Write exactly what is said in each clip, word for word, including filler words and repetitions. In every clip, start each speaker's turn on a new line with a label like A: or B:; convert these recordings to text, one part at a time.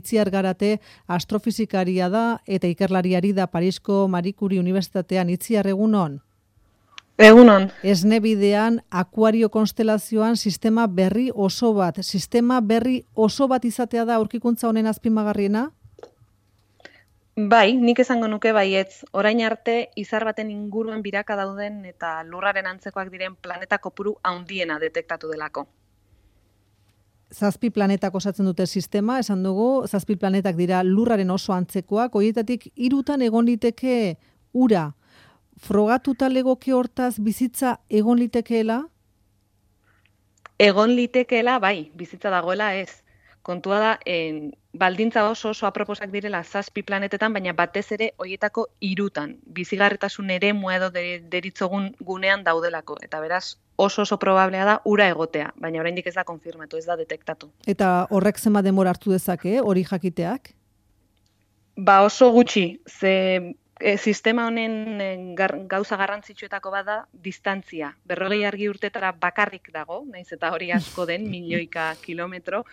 A: Itziar Garate astrofizikaria da eta ikerlariari da Parisko Marie Curie Unibertsitatean. Itziar, egunon?
B: Egunon.
A: Esne bidean, akuario konstelazioan sistema berri oso bat. Sistema berri oso bat izatea da aurkikuntza honen azpimagarriena?
B: Bai, nik esango nuke baietz. Orain arte, izar baten inguruan biraka dauden eta lurraren antzekoak diren planeta kopuru handiena detektatu delako.
A: Zazpi planetak osatzen dute sistema, esan dugu, zazpi planetak dira lurraren oso antzekoak, horietatik hirutan egon liteke ura. Frogatuta legoke hortaz bizitza egon litekeela?
B: Egon litekeela, bai, bizitza dagoela ez. Kontua da, en, baldintza oso oso aproposak direla zazpi planetetan, baina batez ere horietako hirutan. Bizigarritasun eremua edo deritzogun gunean daudelako. Eta beraz, oso oso probablea da ura egotea, baina oraindik ez da konfirmatu, ez da detektatu.
A: Eta horrek zenbat denbora hartu dezake, hori jakiteak?
B: Ba oso gutxi, ze e, sistema honen e, gar, gauza garrantzitsuetako bada distantzia. Berrogei argi urtetara bakarrik dago, naiz eta hori asko den, milioika kilometro,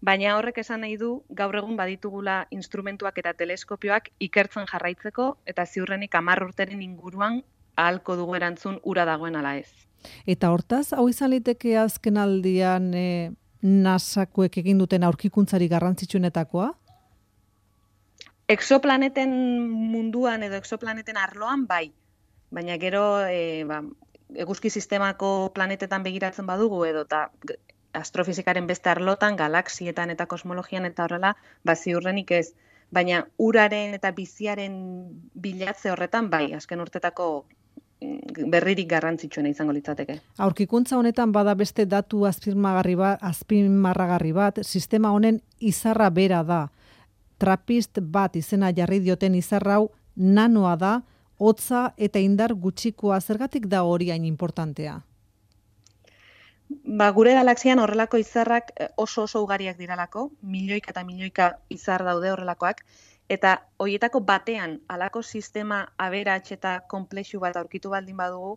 B: baina horrek esan nahi du gaur egun baditugula instrumentuak eta teleskopioak ikertzen jarraitzeko eta ziurrenik hamar urteren inguruan ahalko dugu erantzun ura dagoen ala ez.
A: Eta hortaz, hau izan liteke azken aldian e, nasakoek egin duten aurkikuntzari garrantzitsuenetakoa?
B: Exoplaneten munduan edo exoplaneten arloan bai, baina gero e, ba, eguzki sistemako planetetan begiratzen badugu edo eta astrofizikaren beste arlotan, galaxietan eta kosmologian eta horrela, ba ziurrenik ez. Baina uraren eta biziaren bilatze horretan bai, azken urtetako berririk garrantzitsuena izango litzateke.
A: Aurkikuntza honetan bada beste datu azpimarragarri bat, azpimarragarri bat, sistema honen izarra bera da. Trappist bat izena jarri dioten izarra hau nanoa da, hotza eta indar gutxikoa. Zergatik da hori hain importantea?
B: Ba, gure galaxian horrelako izarrak oso oso ugariak diralako, milioika eta milioika izar daude horrelakoak, eta horietako batean halako sistema aberats eta konplexu bat aurkitu baldin badugu,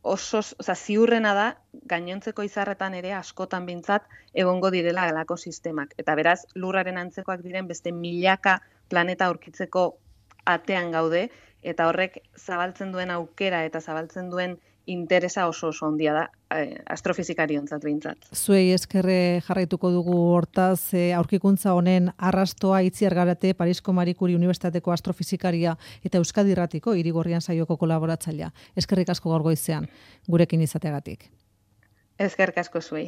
B: oso, oza, ziurrena da gainontzeko izarretan ere askotan behintzat egongo direla halako sistemak. Eta beraz, lurraren antzekoak diren beste milaka planeta aurkitzeko atean gaude, eta horrek zabaltzen duen aukera eta zabaltzen duen interesa oso oso handia da eh, astrofizikariontzat behintzat.
A: Zuei eskerre jarraituko dugu hortaz eh, aurkikuntza honen arrastoa. Itziar Garate, Parisko Marie Curie Unibertsitateko astrofizikaria eta Euskadi Irratiko Irigorrian saioko kolaboratzailea. Eskerrik asko gaur goizean gurekin izateagatik.
B: Eskerrik asko zuei.